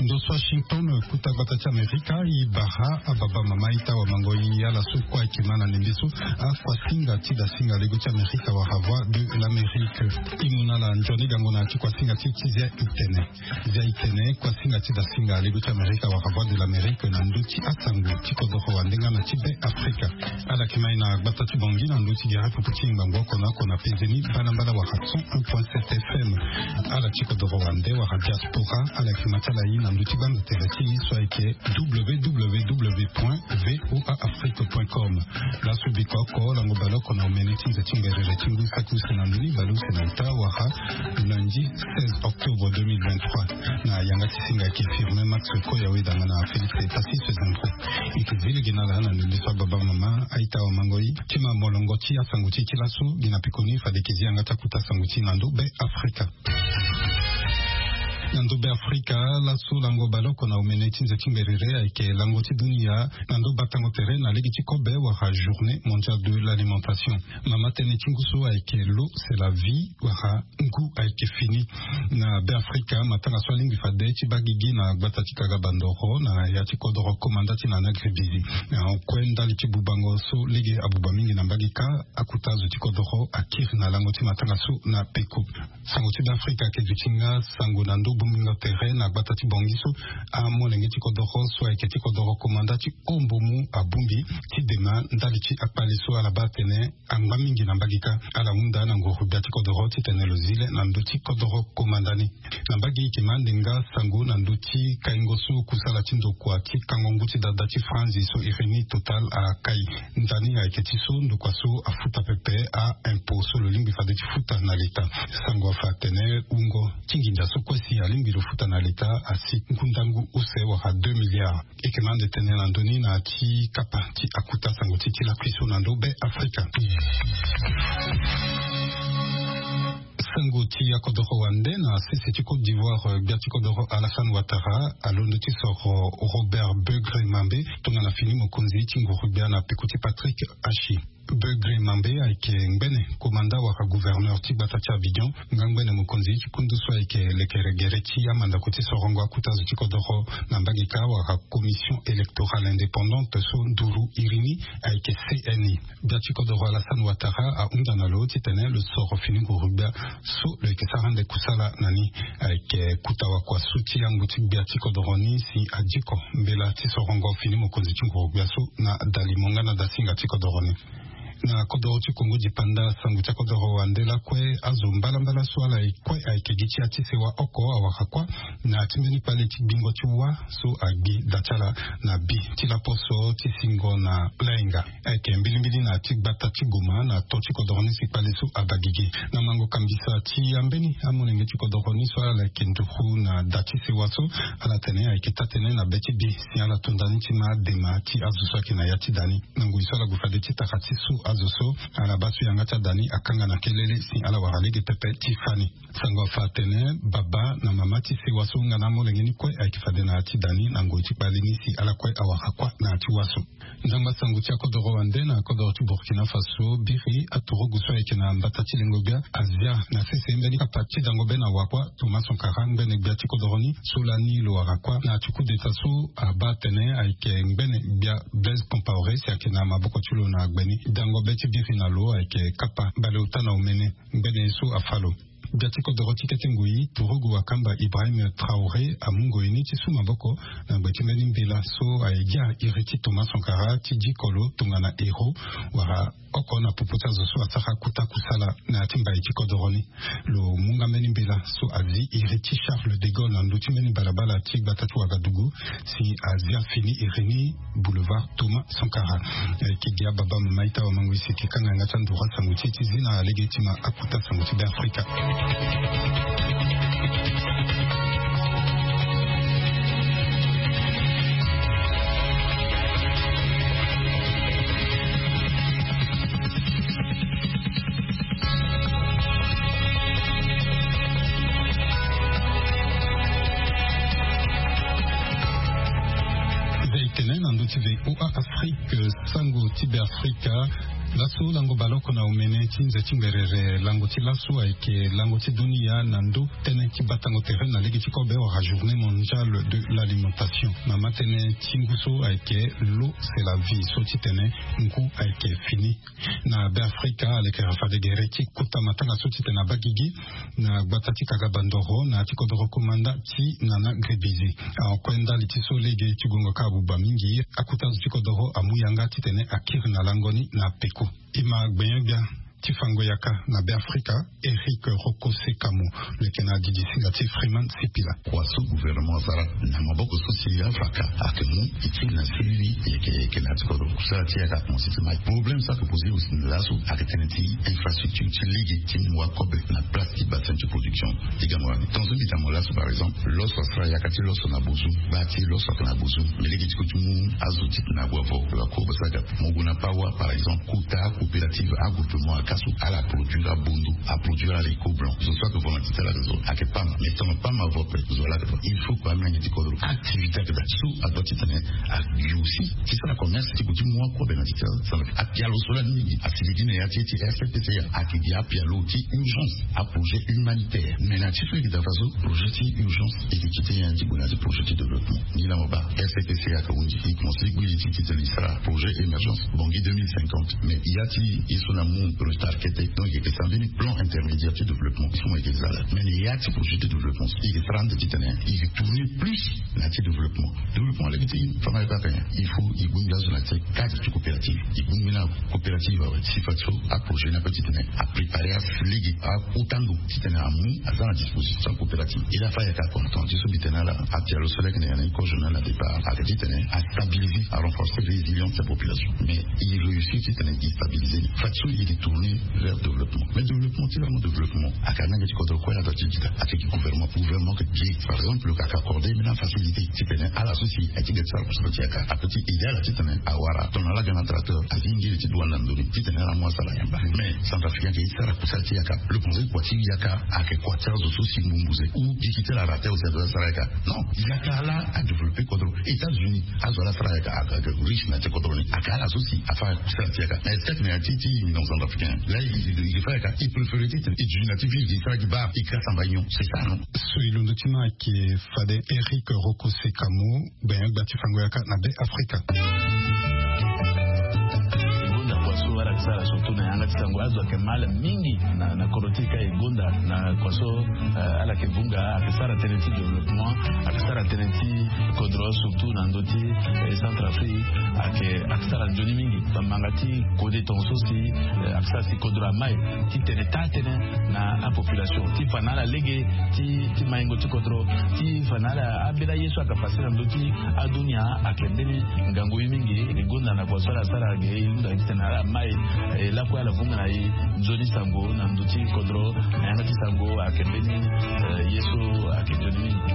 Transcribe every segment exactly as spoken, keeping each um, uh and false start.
Ndo so Washington, kota gbata ti Amerika, e bara ababa mama, ita wa mango, e ala so kue ayeke ma na ndembe so. Akuasinga ti dasinga lego ti Amerika wala Voix de l'Amérique. E mu na ala nzoni gango na ya ti kuasinga ti e ti zia itene. Zia itene, kuasinga ti dasinga lego ti Amerika wala Voix de l'Amérique na ndö ti asango ti kodoro wande nga na ti Be Afrika. Ala yeke ma e na gbata ti Bangui na ndö ti gere pupu ti ngbangbo oko na oko na peze ni mbalambala wala cent un point sept F M. Ala ti kodoro wande wala diaspora, ala yeke ma ti ala e na ndö ti gbanza tere ti e so ayeke W W W point V O A Afrique point com. Laso biko oko, lango bale oko na omene ti nze ti ngberere ti ngu saki use na ndoni bale use na ita wala lundi seize octobre deux mille vingt-trois. Na yanga ti singa ayeke Firmin Max Koya, weda nga na Félix Epassis Zembro. E yeke zi lege na ala na ndembe so ababa mama, aita wa mango, e ti ma molongo ti asango ti e ti laso. Gi na pekoni fade e yeke zi yanga ti akota sango ti e na ndö Be Afrika. Na ndö Be Afrika, laso lango bale oko na omene ti nze ti ngberere ayeke lango ti dunia na ndö batango tere na lege ti kobe wala Journée Mondiale de l'Alimentation. Mama tënë ti ngu so ayeke l'eau c'est la vie wala ngu ayeke fini. Na Be Afrika, matanga so alingbi fade ti baa gigi na gbata ti Kaga Bandoro na ya ti kodoro komanda ti Nana Gribizi. Na kue ndali ti bubango so lege abuba mingi na mbage kâ, akota zo ti kodoro akiri na lango ti matanga so na peko. Sango ti Be Afrika ayeke duti nga sango na ndö bongbingo tere na gbata ti Bangui so amolenge ti kodoro so ayeke ti kodoro komanda ti Ombomu abongbi ti dema ndali ti akpale so ala baa atene angba mingi na mbage kâ. Ala hunda na nguru gbia ti kodoro titene lo zi le na ndö ti kodoro komanda ni. Na mbage e yeke ma ande nga sango na ndö ti kaingo so kusala ti ndokua ti kango ngu ti dada ti Franzi so iri ni Total akai. Ndani ayeke ti so ndokua so afuta pepe a-impôt so lo lingbi fade ti futa na leta. Sango afa atene wungo ti nginza so kue si alingbi lo futa na leta asi ngu ndangu use wala deux milliards. E yeke ma ande tene na ndö ni na ya ti kapa ti akota sango ti e ti lakui so na ndö Be Afrika. Sango ti akodoro wande na sese ti Côte d'Ivoire, eh, gbia ti kodoro Alassane Ouattara alondo ti soro Robert Beugre Mambe tongana fini mokonzi ti nguru gbia na peko ti Patrick Achi. Beugre Mambe ayeke ngbene komanda wala gouverneur ti gbata ti Abidjan, nga ngbene mokonzi ti kundu so ayeke lekere gere ti amandako ti sorongo akota zo ti kodoro na mbage kâ wala Commission électorale indépendante so nduru iri ni ayeke C N I. Gbia ti kodoro Alassane Ouattara ahunda na lo titene lo soro fini nguru gbia so lo yeke sara ande kusala na ni. Ayeke kota wakua so ti yango ti gbia ti kodoro ni si adiko mbela ti sorongo fini mokonzi ti nguru gbia so na dali mo nga na dasinga ti kodoro ni. Na kodoro ti Kongo dipanda, sango ti akodoro wande lakue, azo mbalambala so ala ye kue ayeke gi ti ya ti sewa oko awara kuâ na ya ti mbeni kpale ti gbingo ti wâ so agbi da ti ala na bi ti laposo ti singo na lainga. Ayeke mbilimbili na ya ti gbata ti Goma na to ti kodoro ni si kpale so abaa gigi. Na mango kambisa ti ambeni amolenge ti kodoro ni so ala yeke nduru na da ti sewa so, ala tene ayeke taa-tënë na be ti bi si ala to nda ni ti ma dema ti azo so ayeke na ya ti da ni. Na ngoi so ala gue fade ti taka ti su azo so, ala baa so yanga ti ada ni akanga na kelele si ala wara lege pepe ti fâ ni. Sango afa atene baba na mama ti sewa so nga na amolenge ni kue ayeke fade na ya ti da ni na ngoi ti kpale ni si ala kue awara kuâ na ya ti wâ so. Nzangba sango ti akodoro wande na akodoro ti Burkina Faso biri aturugu so ayeke na mbata ti lengo gbia azia na sese mbeni kapa ti dango be na wa kuâ Thomas Sankara ngbene gbia ti kodoro ni so lani lo wara kuâ na ya ti coup d'État so abaa atene ayeke ngbene gbia Blaise Compaoré si ayeke na maboko ti lo na gbe ni. Dango be ti biri na lo ayeke kapa baleota na omene ngbene so afâ lo. Gbia ti kodoro ti kete ngoi turugu wakamba Ibrahim Traoré amu ngoi ni ti su maboko na gbe ti mbeni mbela so aye gi iri ti Thomas Sankara ti diko lo tongana héros wala oko na popo ti azo so asara kota kusala na ya ti mbai ti kodoro ni. Lo mu nga mbeni mbela so azi iri ti Charles de Gaulle na ndö ti mbeni balabala ti gbata ti Ouagadougou si azia fini iri ni boulevard Thomas Sankara. Eh, ki gi ababa mama ita wa mango isi ti kanga yanga ti anduru asango ti e ti zi na lege ti ma akota sango ti Be Afrika. Zia itene na ndö ti V O A Afrique, sango ti Be Afrika. Laso lango baleoko na omene ti nze ti mberere lango ti laso ayeke lango ti dunia na ndö tënë ti batango tere na lege ti kobe wala journée mondiale de l'alimentation. Na ma tënë ti ngu so ayeke l'eau c'est la vie so ti tene ngu ayeke fini. Na be afrika alekera fade gere ti kota matanga so ti tene abagigi na gbata ti kaga bandoro na ti kodoro komanda ti nana grebizi. Akue ndali ti so lege ti gongo ka abuba mingi akuta zo ti kodoro amu yanga ti tene akiri na lango ni na peko. E ma gbenyo-gbia ti fango yaka na be afrika, eric roko sekamo, leke na didi singa ti freeman sipila. Kua so gouvernement asara na maboko so si afaka ake mu iti na siriri yeke yeke na ti kodoro kusala ti yaka akomanse ti mai. Problème so ake poser aussi na laso ake tene ti infrastructure ti lege ti mu akobe na place ti bassin ti production. Ti gango wani tongaso mbi ta mo laso par exemple loso asara yaka ti loso na bozu. Gba ti loso ake na bozu. Mais lege ti ko ti mu azo ti tene ague avo akobe so aga mo gue na pawa par exemple kota coopérative agroupement aka so ala produire abondo, aproduire haricot blanc zo so ake volonté ti ala ake zo ake pam. Mais tongana pam avo ape zo ala ake fa il faut ko amenge ti kodro activité ake daa so adoit ti tene ague aussi ti sara commerce ti ko ti mu akobe na ti ti ala. Apialo so lani mingi asiligi na ya ti ti rcpca ake gi apialo ti urgence, aprojet humanitaire. Mais na ti so e gi daa faso projet ti urgence e gi kite nyen ti gue na ti projet ti développement. Ni laa mo baa rcpca ake hundi e commence ti gui li ti ti tene e sara projet émergence bongi deux mille cinquante. Mais ya ti ye so na mu projet arquete donc e yeke sara mbeni plan intermédiaire ti développement so mo yeke za laa. Mais na ya ti projet ti développement e yeke sara ande ti tene e yeke tourner plus na ti développement. Développement lege ti fama ye kaka nyen? Il faut e bongbi azo na ti cadre ti coopérative. E bongbi na coopérative awe si fade so aprojet ni ape ti tene apréparer afu lege akota ndo ti tene amu aza na disposition ti coopérative. E laa fade ayeke acontant ti so mbi tene ala apialo so lege na ya na e ko journal na départ ake ti tene astabiliser arenforcer résilience ti apopulation. Mais e réussir ti tene e stabiliser ni fade so e yeke tourner vers développement. Mais développement ti lango développement ake anenge ti kodro kue azo ti gita ake gi gouvernement gouvernement ake gi par exemple ake accordé mbeni afacilité ti tene ala so si aye ti geti sara kusala ti yaka ape ti aidé ala ti tene awara tongana ala ga na tracteur azi ngiri ti douane na ndoni ti tene ala mu asara yamba. Mais centrafricain ake ye ti sara kusala ti yaka le conseil kua ti yaka ake kua ti azo so si mbumbuze ou gigi ti ala raté aussi azo asara yaka. Non, yaka ala adéveloppé kodro états-unis azo ala sara yaka ake riche na ti kodro ni ake ala so si afa kusala ti yaka. Mais est-ce que na ya ti ti immigrant centrafricain laa e fa yaka e préféré ti tene e duti na ti ville e sara gi bar e kiri asamba union c'est ça non? So e londo ti ma ayeke fade eric roko sekamo. Gbenyo-gbia ti fango yaka na be afrika. E gonda kua so ala yeke sara surtout na yanga ti sango azo ayeke mal mingi na na kodro ti e ka e gonda na kua so ala yeke vunga ayeke sara tënë ti développement ayeke sara tënë ti kodro surtout na ndö ti centrafrique ayeke ayeke sara nzoni mingi. Bamanga ti kode tongaso si ayeke sara si kodro amai ti tene taa tënë na apopulation ti fa na ala lege ti ti maingo ti kodro ti fa na ala ambeni aye so ayeke pase na ndö ti adunia ayeke mbeni ngangu ye mingi. E gonda na kua so ala sara ge e hunda ti tene ala mai e lakue ala vunga na e nzoni sango na ndö ti kodro na yanga ti sango ayeke mbeni ye so ayeke nzoni mingi.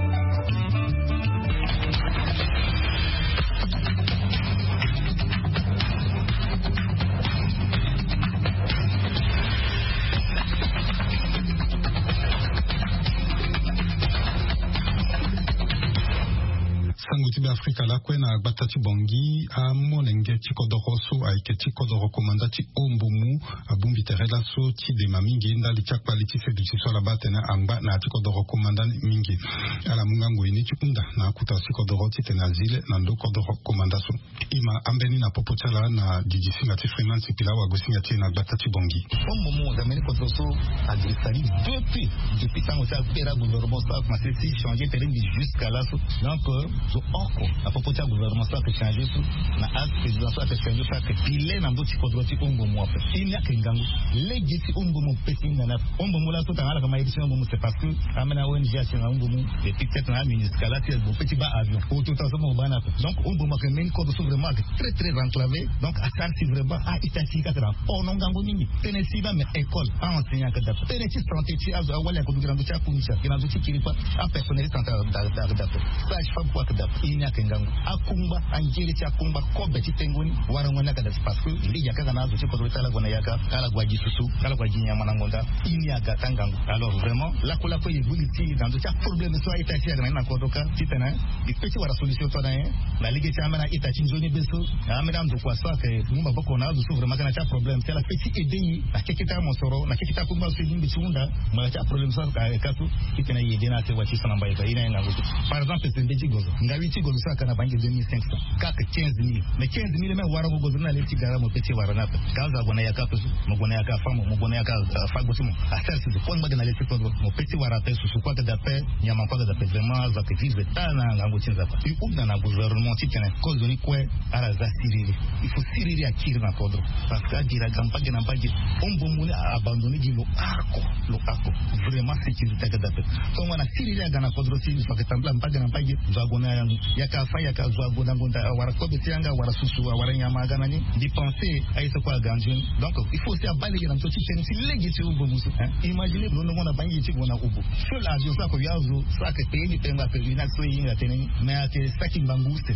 Sango ti be afrika lakue na gbata ti bongi amolenge ti kodoro so ayeke ti kodoro komanda ti ombomu abongbi tere laso ti dema mingi ndali ti akpali ti seduti so ala baa atene angba na ya ti kodoro komanda ni mingi. Ala mu nga ngoi ni ti hunda na akuta ti kodoro titene azi le na ndo kodoro komanda so. E ma ambeni na popo ti ala na didi singa ti freeman sipila wago singa ti e na gbata ti bongi. Ombomu aza mbeni kodoro so agi stali depuis depuis tango ti akpera gouvernement so akomanse ti changer tere mbi jusqu'à laso. Donc zo oko na popo ti agouvernement so ayeke changer so na axe président so ayeke changer so ayeke pile na ndö ti kodro ti ombomu ape. Ini ayeke ngangu lege ti ombomu pesi ni na ni ape. Ombomu laso tanga ala yeke ma ye ti ombomu c'est parce que ambeni a-ong asi na ombomu. Depuis peut-être na amuniscala ti azo pe ti baa avion auto tanga so mo baa ni ape. Donc ombomu ayeke mbeni kodro so vraiment ayeke très très enclavé. Donc asara si vraiment a-ita ti kaka na port no ngangu mingi. Tënë si ba me école a-enseignant ayeke daa. Tënë ti santé ti azo awali ayeke duti na ndö ti akunzi ayeke na ndö ti kiri kue. Apersonnel ti santé ayeke daa. Sage femme kue ayeke daa. Ini ake ngangu akungba, angere ti akungba kobe ti tengo ni. Warango ni aga da ti parce que lege akanga na azo ti kodro ti ala gue na yaka, ala gue agi susu, ala gue agi nyama na ngonda. Ini aga ta ngangu. Alors vraiment lakue lakue e buli ti na ndo ti aproblème so a-ita ti aga na ni na kodro ka titene e pe ti wara solution to na ye. Na lege ti ambeni a-ita ti nzoni be so, ambeni andokua so ake mu maboko na azo so vraiment aga na ti aproblème ti ala pe ti aide ye na keke ti amosoro, na keke ti akungba so e lingbi ti hunda. Mo na ti aproblème so ake ka so titene e aide na ake wa ti so na mbai ka ye na ye ngangu so. Par exemple sembe ti gozo, ngawi ti gozo so aka na bangi deux mille cinq cents, kake quinze mille. Mais quinze mille même warango gozo ni na le ti gara mo pe ti wara ni ape. Ka azo ague na yaka ape so, mo gue na yaka afa mo, mo gue na yaka afa gbo ti mo. Asere sese kue ngbage na le ti kodro mo pe ti wara ape, susu kue aga da ape, nyama kue aga da ape. Vraiment azo ake vivre taa na ngangu ti Nzapa. E hunda na gouvernement titene kozo ni kue ala za siriri. Il faut siriri akiri na kodro. Parce que adiri aga mbage na mbage. Hombo mu ni a abandonné gi lo arko, lo arko. Vraiment sécurité aga da ape. Tongo na siriri aga na kodro ti zo ake tambula mbage na mbage. Zo ague na yaka afa yaka, zo ague na ngonda, awara kobe ti yanga, awara susu, awara nyama aga na ni. Mbi pensé aye so kue aga nzoni. Donc il faut aussi abaa lege na ndö ti tënë ti lege ti hombo mu so. Imagine lo nongo na bangi ti gue na hobo. Seul avion so ako yo azo so ake payé ni pengba pèlerinage so e hinga tënë ni. Mais ake saki ngbangbu use.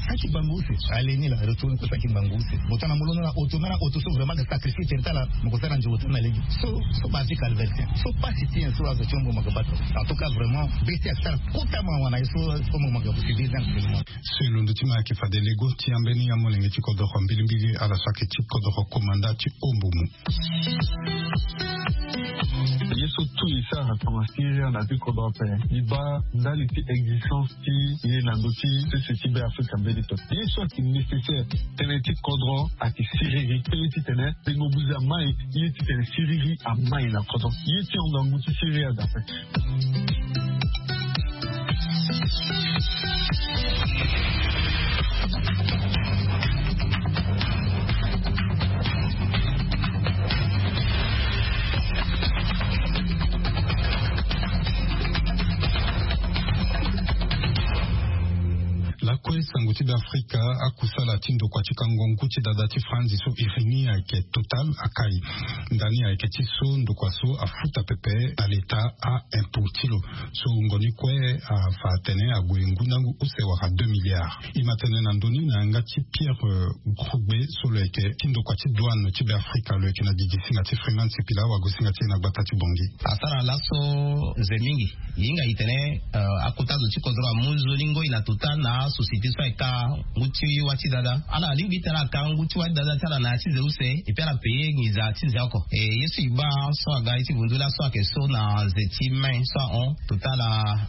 Saki ngbangbu use. Ale ni la retourne ko saki ngbangbu use. Mo tana mo londo na auto, me na auto so vraiment ake sacrifié tere ti ala. Mo ko sara nzoni ota na lege so. So parti calvertien so pasi ti en so azo ti hombo mo ake bata. En tout cas vraiment beti ake sara kota mawa na ye so. Hombo mo ake ko subir na. So e londo ti ma ake fade lego ti ambeni amolenge ti kodoro mbilimbili ala so ake ti kodoro komanda ti hombo mu. Ye so tout e sara tongana siriri na ti kodro ape. E baa ndali ti existence ti ye na ndö ti sese ti be Afrika mbeni to. Ye so ake nécessaire tënë ti kodro ake siriri. Tënë titene tengo buze amai. Ye titene siriri amai na kodro. Ye ti hon ngangu ti siriri aga ape. Lakue sango ti be Afrika, akusala ti ndokua ti kango ngu ti dada ti Franzi so iri ni ayeke Total akai. Ndani ayeke ti so ndokua so afuta pepe na leta a impôt ti lo. So wungo ni kue afa atene ague ngu ndangu use wala deux milliards. E ma tene na ndö ni na yanga ti Pierre Grogbe so lo yeke ti ndokua ti douane ti be Afrika, lo yeke na gigi singa ti Freeman Sipila wago singa ti e na gbata ti Bongi. Asara laso nze mingi. E hinga e tene akota zo ti kodro amu nzoni ngoi na Total na asociété so ayeke ka ngu ti wâ ti dada. Ala alingbi tene aka ngu ti wâ ti dada ti ala na ya ti nze use. Epui ala payé nginza ti nze oko. E ye so e baa so aga ye ti vundu laso ayeke so na nze ti mai so ahon. Total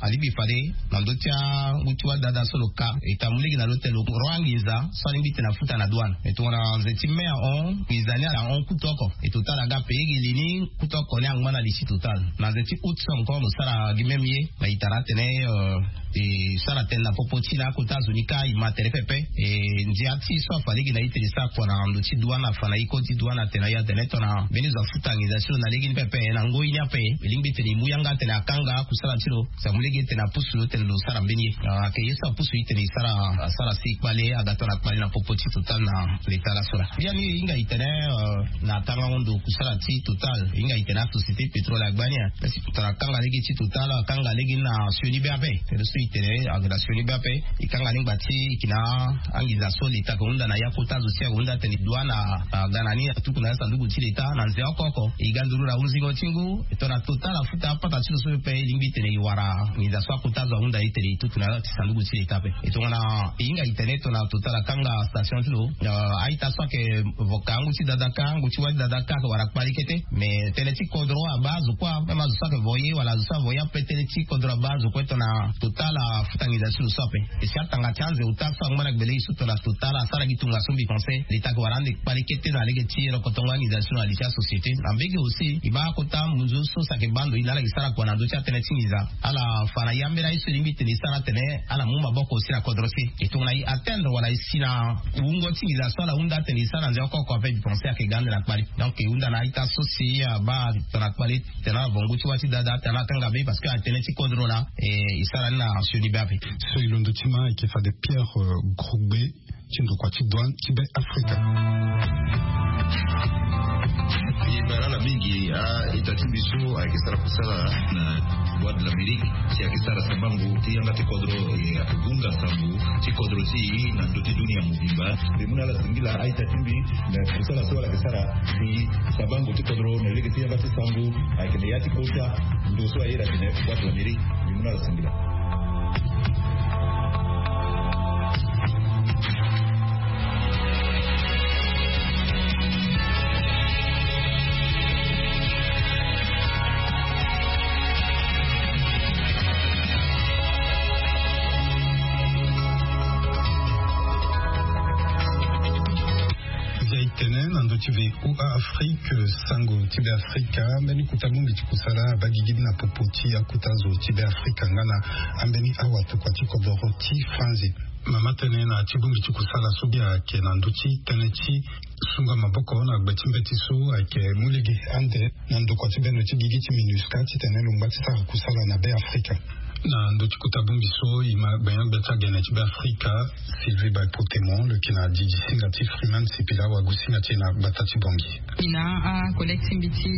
alingbi fade na ndö ti angu ti wâ ti dada so lo ka e ta mu lege na lo tene lo ro anginza so alingbi tene afuta na douane. E tongana nze ti mai ahon, nginza ni ala hon kutu oko. E Total aga payé gi li ni kutu oko ni angba na li ti Total. Na nze ti août so encore lo sara gi même ye. Na e tara atene e sara tënë na popo ti na akota zo ni kâ e ma tene pepe. E ndia ti so afa lege na e tene e sara kua na ndo ti douane afa na e koti douane atene na e atene tongana mbeni zo afuta nginza ti lo na lege ni pepe na ngoi ni ape, e lingbi tene e mu yanga atene akanga akusala ti lo. Si amu lege tene apusu lo tene lo sara mbeni ye. Ayeke ye so apusu e tene e sara asara si kpale aga tongana kpale na popo ti Total na leta laso laa. Biani e hinga e tene na tangango ndo kusala ti Total e hinga e tene asociété pétrole agba ni. Tongana akanga lege ti Total akanga lege ni na sioni be ape. Tene so e tene ayeke na sioni be ape. E kanga ni ngba ti e yeke na anginza so leta ayeke hunda na ya kota zo si ayeke hunda atene douane aga na ni atuku na ya sanduku ti leta na nze oko oko. E ga nduru na hunzingo ti ngu. E tongana Total afuta apata ti lo so pepe e lingbi tene e wara nginza so akota zo ahunda e tene e tutu na ya ti sanduku ti leta ape. E tongana e hinga e tene tongana Total akanga station ti lo, a-ita so ayeke voka angu ti dada kâ angu ti wâ ti dada kâ ayeke wara kpali kete. Mais tënë ti kodro abaa azo kue, même azo so ayeke voye wala azo so avoye ape, tënë ti kodro abaa azo kue tongana Total afuta nginza ti lo so ape. E si atanga ti anze ota so angba na gbele e so tongana Total asara gi tongaso mbi pense leta ayeke wara ande kpali kete na lege ti rokotongo anginza ti lo na li ti asociété. Na mbege aussi e baa akota munzu so si ayeke baa ndo e na ala yeke sara kua na ndö ti atënë ti nginza. Ala fa na ya mbeni aye so e lingbi tene e sara atene ala mu maboko si na kodro ti e. E tongana e atteindre wala e si na wungo ti nginza so ala hunda atene e sara na nze oko oko ape, mbi pense ayeke ga ande na kpali. Donc e hunda na a-ita so si abaa tongana kpali tene ala vo ngu ti wâ ti dada tene ala kanga be parce que atënë ti kodro laa. E sara ni na sioni be ape. So e londo ti ma ayeke fade Pierre Grogbe. ti ndokua ti douane ti be afrika. E bara ala mingi a-ita ti mbi so ayeke sara kusala na boîte de l'amérique, si ayeke sara sambango ti yanga ti kodro, e ayeke gunga sambu ti kodro ti e na ndö ti dunia mobimba. Mbi mu na ala singila a-ita ti mbi na kusala so ala yeke sara. Ti sambango ti kodro na lege ti yanga ti sambu ayeke na ya ti kota ndo so aye na tene boîte de l'amérique. Mbi mu na ala singila. Ndia e tene na ndö ti V O A Afrique, sango ti be afrika, mbeni kota bongbi ti kusala abaa gigi ni na popo ti akota zo ti be afrika nga na ambeni awa tokua ti kodoro ti franzi. Mama tene na ti bongbi ti kusala so bia ayeke na ndö ti tënë ti sunga maboko na gbe ti mbeti so ayeke mu lege ande na ndokua ti bendo ti gigi ti minusca titene lo ngba ti sara kusala na be afrika. Na ndö ti kota bongbi so e ma gbenyo-gbia ti agene ti be afrika, sylvie baipotemo lo yeke na didi singa ti freeman sipila wagu singa ti e na gbata ti bongi. E na acollègue ti mbi ti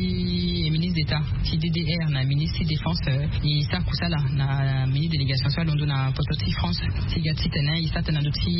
ministre d'état ti ddr na ministre ti défense, e sara kusala na mini délégation so alondo na poto ti france ti ga titene e sara tene na ndö ti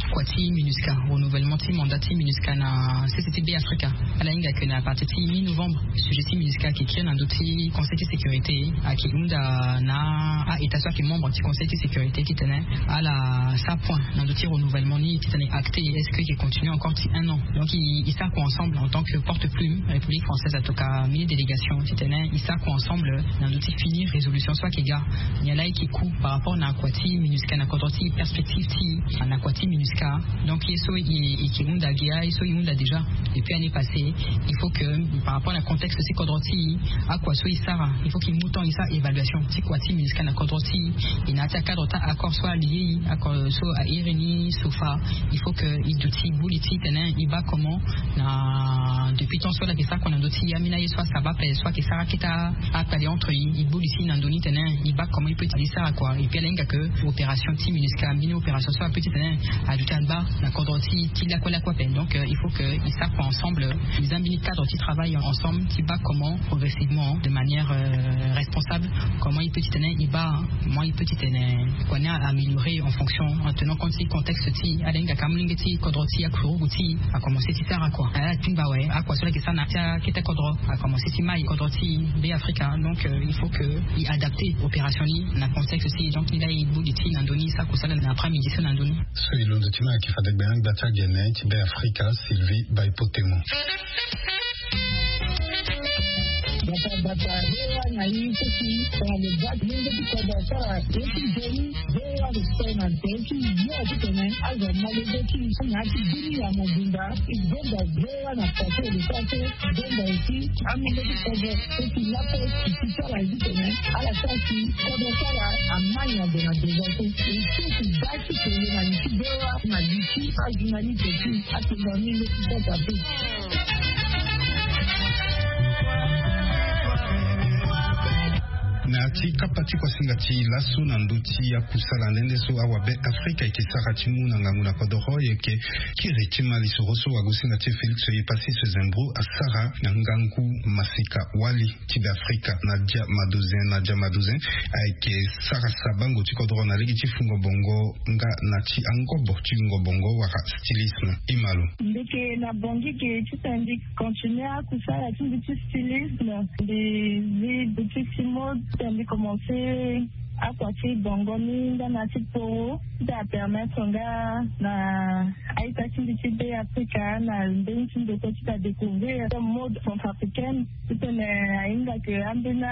kua ti minusca, renouvellement ti mandat ti minusca na sese ti be afrika. Ala hinga ke na partir ti mi novembre sujet ti minusca ayeke kiri na ndö ti conseil ti sécurité, ayeke hunda na a-état so ayeke membre ti conseil ti sécurité titene ala sara point na ndö ti renouvellement ni titene acte est-ce que e continue encore ti un an. Donc e sara kua ensemble en tant que porte plume république française atoka mini délégation titene e sara kua ensemble na ndö ti fini résolution so ayeke ga. Nyen laa e yeke ku par rapport na kua ti minusca na kodro ti e, perspective ti e na kua ti minusca. Donc ye so e yeke hunda gi aye so e hunda déjà depuis année passée, il faut que par rapport na contexte ti kodro ti e, akua so e sara il faut que e mu temps e sara évaluation ti kua ti minusca na kodro ti e. E na ya ti acadre ti accord so alie e accord so airi ni sofa, il faut que e duti e gbu li ti tene e baa comment na depuis temps so ala yeke sara kua na ndö ti ambeni aye so asaba ape so ayeke sara akete akpale entre e, e gbu li ti e na ndö ni tene e baa comment e peut ti sara kua. Et puis ala hinga ke opération ti minusca mbeni opération so ape ti tene aduti agba na kodro ti ti lakue lakue ape. Donc il faut que e sara kua ensemble, e za mbeni cadre ti travail ensemble ti baa comment progressivement de manière responsable comment e peut ti tene e baa, moi e peut ti tene kua ni a améliorer en fonction en tenant compte ti contexte ti ala hinga ka molenge ti kodro ti akurugu ti a commencer ti sara kua ala ti mba awe akua so ala yeke sara na ti akete kodro a commencer ti mai kodro ti be afrika. Donc il faut que e adapter opération ni na contexte ti e. Donc ni laa e gbu li ti e na ndö ni e sara kusala na après midi so na ndö ni. So e londo ti ni ayeke fade gbenyo-gbia ti agene ti be afrika sylvie baipotemo. Bata bata rewa na ye so si tongana lo baa ti lenge ti kodro asara ye ti nzoni. Rewa lo tene na nze ti yo ti tene azo molenge ti na ya ti bini ya mobimba. E gonda rewa na pase lo sara so gonda e ti amolenge ti kodro so si lapo si ti sara ye ti tene ala sara si kodro sara amai na ndo na devant so e so si baa ti tene na li ti rewa na li ti ajournaliste ti atongani leti sasa pe. Na ya ti kapa ti kuasinga ti laso na ndö ti akusala nde nde so awabe afrika eke sara ti mu na ngangu na kodoro eke kiri ti ma lisoro so wagosinga ti félix ye pasi se zembro asara na ngangu masika wali ti be afrika na dia madozin na dia madozin. Ayeke sara sabango ti kodoro na lege ti fungo bongo nga na ti angobo ti fungo bongo wala stylisme. Imalo. Mbi yeke na bongi ge ti tene mbi continue akusala ti mbi ti stylisme. Mbi zi boutique ti mode ti tene mbi commence akua ti bongo ni nga na ti poro ti tene apermettre nga na aita ti mbi ti be afrika na mbeni ti ndeko ti tene adécouvrir mode centrafricaine. Ti tene ahinga ke ambeni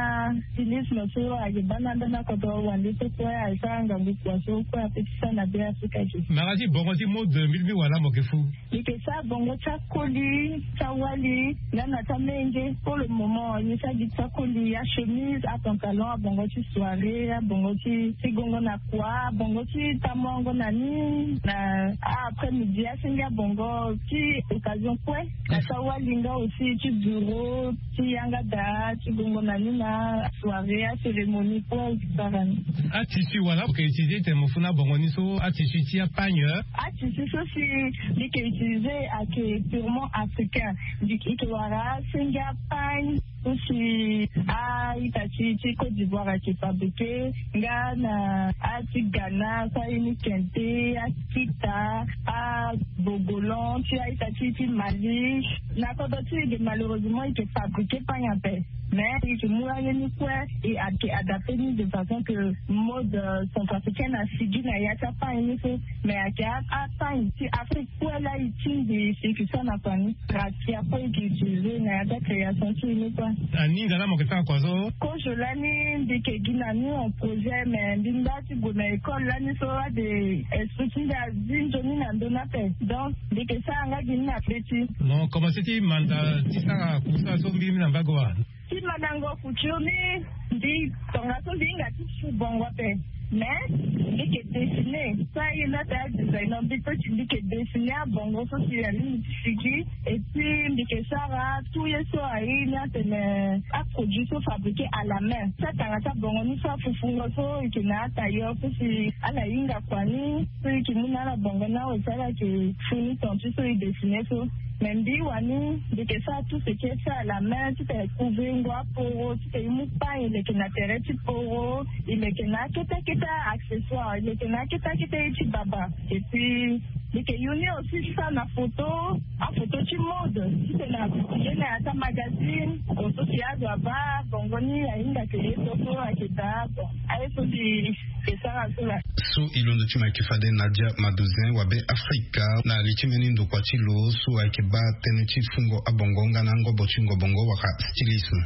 stylisme so ayeke baa na ambeni akodro wande so kue asara ngangu kua so kue ape ti sara na be afrika ge. Mara ti bongo ti mode mbi lingbi wala mo ke fu. Mbi ke sara bongo ti akoli ti awali nga na ti amenge. Pour le moment mbi sara gi ti akoli achemise apantalon abongo ti soirée abongo ti ti gongo na kua bongo ti tamuango na ni na après midi asenge abongo ti occasion kue na ti awali nga aussi ti bureau ti yanga daa ti gongo na ni na soirée acérémonie kue. Sara ni. Atissu wala oke utiliser tene mo fu na bongo ni so atissu ti apagne. Atissu so si mbi ke utiliser ake purement africain. Mbi ke wara asenge apagne so si a-ita ti ti côte d'ivoire ake fabriquer nga na ati ghana so aye ni kente akita abogolan ti a-ita ti ti mali. Na kodro ti ege malheureusement eke fabriquer pagne ape. Mais eke mu aye ni kue e ake adapter ni de façon que mode centrafricaine asigi na ya ti apagne ni so. Mais ake apagne ti afrique kue la e tingbi si eke sara na kua ni. Rakia kue eke utiliser na ya ti acréation ti e ni kue. Aninga la mo ke sara kua so. Kozo lani mbi ke gi na ni en projet mais mbi nda ti gue na école lani so ade esprit ti nda azi nzoni na ndoni ape. Donc mbi ke sara nga gi ni na be ti. Mo commencer ti manda ti sara kusa so mbiri mi na mbago wa. Ti mandango couture ni mbi tongaso mbi hinga ti su bongo ape. Mais mbi ke dessiner so aye na ta designer mbi pe ti mbi ke dessiner abongo so si alingbi ti sigi. Et puis mbi ke sara tout ye so aye ni atene aproduit so fabriquer à la main ti atanga ti abongo ni so afufungo so eke na atailleur so si ala hinga kua ni so eke mu na ala bongo ni awe si ala ke fini ton ti so e dessiner so. Mais mbi wani mbi ke sara tout ce qui est fait à la main ti te couvrir ngo aporo ti te e mu pagne e leke na tere ti poro e leke na akete akete accessoire e leke na akete akete ye ti baba. Et puis mbi ke yu ni aussi ti sara na photo afoto ti mode ti te na publier na ya ti amagazine. Photo ti azo aba bongo ni ahinga ke ye so so ake daa bon aye so mbi ke sara so la. So e londo ti mo ayeke fade nadia madozin wabe afrika na li ti mbeni ndokua ti lo so ayeke baa tënë ti fungo abongo nga na angobo ti ngobongo wala stylisme.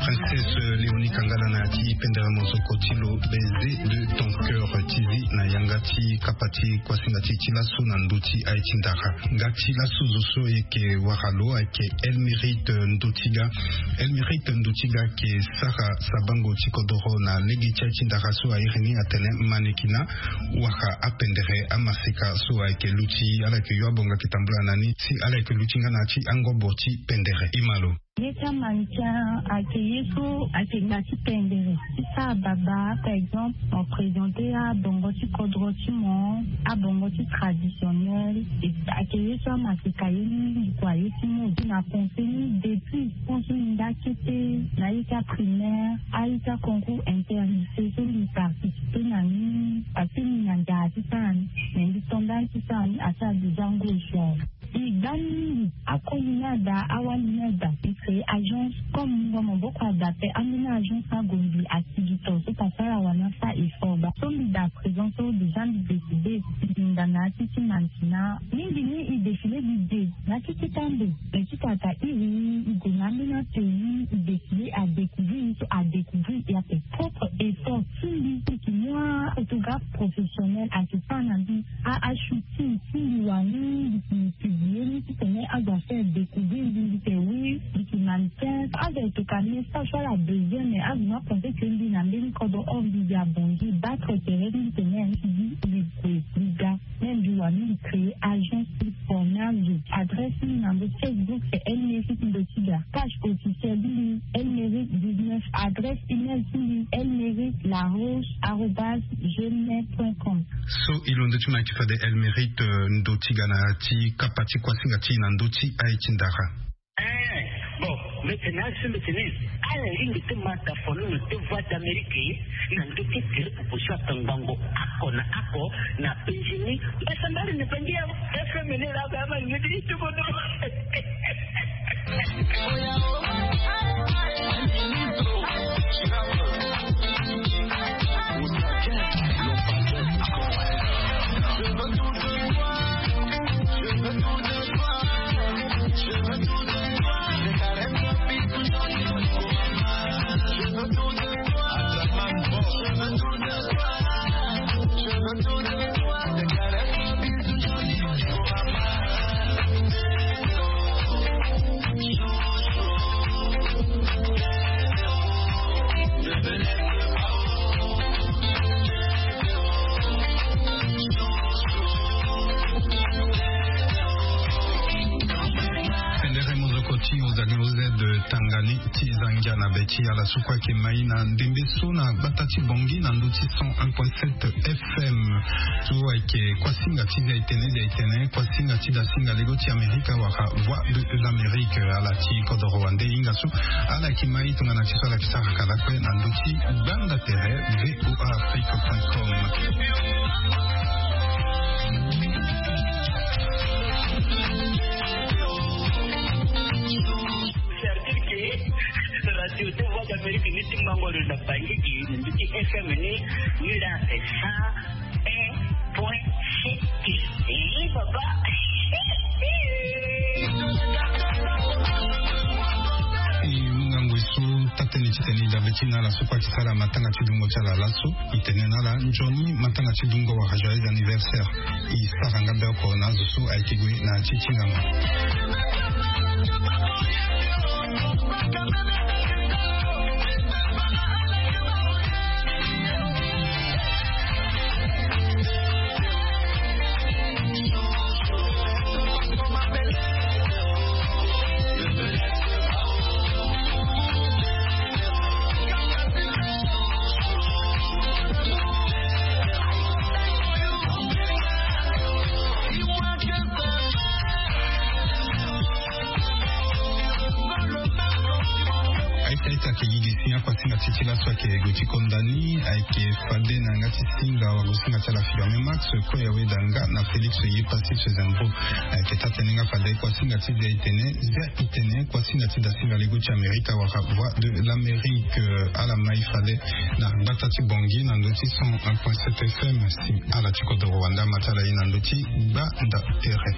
Princesse léonie kangala na ya ti pendere mozoko ti lo baiser de ton cœur ti zi na yanga ti kapa ti kuasinga ti e ti laso na ndö ti aye ti ndara. Nga ti laso zo so e yeke wara lo ayeke elmirite ndotiga. Elmirite ndotiga ayeke sara sabango ti kodoro na lege ti aye ti ndara so a iri ni atene manekina wara apendere amaseka so ayeke luti ala yeke yo abonga yeke tambula na ni si ala yeke luti nga na ya ti angobo ti pendere e ma lo. Ye ti amandikia ayeke ye so ayeke nda ti pendere ti sara baba par exemple mo présenter abongo ti kodro ti mo abongo ti traditionnel. Ayeke ye so amaseka ye ni ndukua ye ti mo na pensé ni depuis pense ni nda kete na ye ti aprimaire aye ti aconcours interlycée so mbi participer na ni parce que mbi na nzara ti sara ni. Mais mbi to nda ti sara ni asara déjà ngo echouer. E gba ni mingi akoli ni ada awali ni ada e créer agence comme mungo maboko ada pe ambeni agence agombi asigi to so pasara wani asa effort ba so mbi da présent so déjà mbi décidé mbi nda na ya ti ti mantina mingi ni e défilé mbi de na ya ti ti kando. Mais ti tata iri ni e gue na ambeni ateni e défilé adécouvrir ni so adécouvrir e ape propre effort ti mbi. Mbi ke mu aphotographe professionnel ayeke sara na mbi a ashooting ti mbi wani mbi ke publié ni titene azo afaire découvrir mbi mbi ke oui mbi ke mannequin. Azo ayeke ka message so ala besoin mais azo ni apense ke mbi na mbeni kodro or mbi mbi abongi battre tere ni titene mbi ti di mbi gue mbi ga. Mbi wani mbi créer agence ti pona zo. Adresse ti mbi na ndo Facebook c'est Elmeric Ndotiga. Page officielle ti mbi Elmeric dix-neuf. Adresse email ti mbi Elmeric Laroche arobase gmail point com. So e londo ti mo ayeke fade Elmeric, euh, Ndotiga na ya ti kapa ti kuasinga ti e na ndö ti aye ti ndara. Eh, bon, mbi tene asu mbi tene ala lingbi ti ma tafono na te Voix d'Amérique na ndö ti tere popo so atangbango oko na oko na penzi ni. Mbasambari ni penzi ya F M ni la ba ma ni ti tuko do. Pendere mozoko ti Ozali O Z Tangani ti Zangia na be ti ala so kue ayeke mai na ndembe so na gbata ti Bangui na ndö ti cent un point sept F M. So ayeke kuasinga ti Zaitene, Zaitene, kuasinga ti dasinga lego ti Amerika wala Voix de l'Amérique, ala ti kodoro wande hinga so ala yeke mai tongana ti so ala yeke sara kala kue na ndö ti gbanda tere V O A Afrique point com. Radio de Voix d'Amérique ni ti mango lo na Bangui gi ni ti F M ni ni la cent un point sept. Eh, papa. E mu ngangu e so taa-tënë ti tene e dabe ti na ala so kue ayeke sara matanga ti dungo ti ala laso. E tene na ala nzoni matanga ti dungo wala joyeux anniversaire. E sara nga be oko na azo so ayeke gue na ya ti tingama. Aita aita ayeke gigi si akuasinga ti ti laso ayeke gue ti konda ni ayeke fade na yanga ti singa wala singa ti ala Firme Max kue awe da nga na Félix Yepassis Zembo. Ayeke taa-tënë nga fade kuasinga ti Zaitene, Zaitene, kuasinga ti dasinga lego ti Amerika wala Voix de l'Amérique, euh, ala mai fade na gbata ti Bangui na ndö ti cent un point sept F M. Si ala ti kodoro wande ama ti ala ye na ndö ti gbanda tere.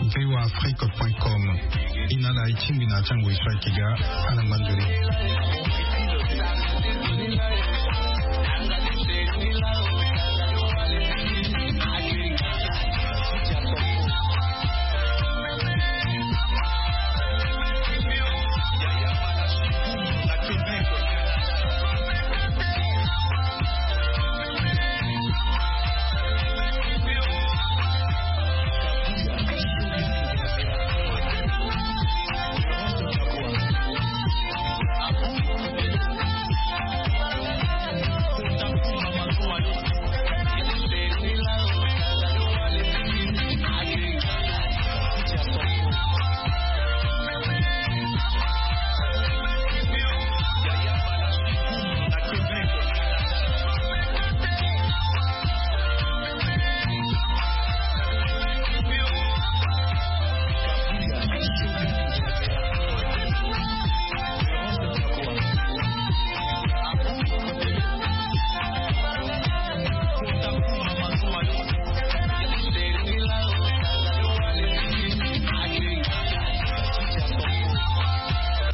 V O A Afrique point com. E na ala e tingbi na ya ti angoi so ayeke ga. Ala ngba nzoni.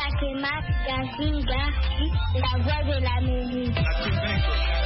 Ake Mak Gasinga, la voix de l'Amérique.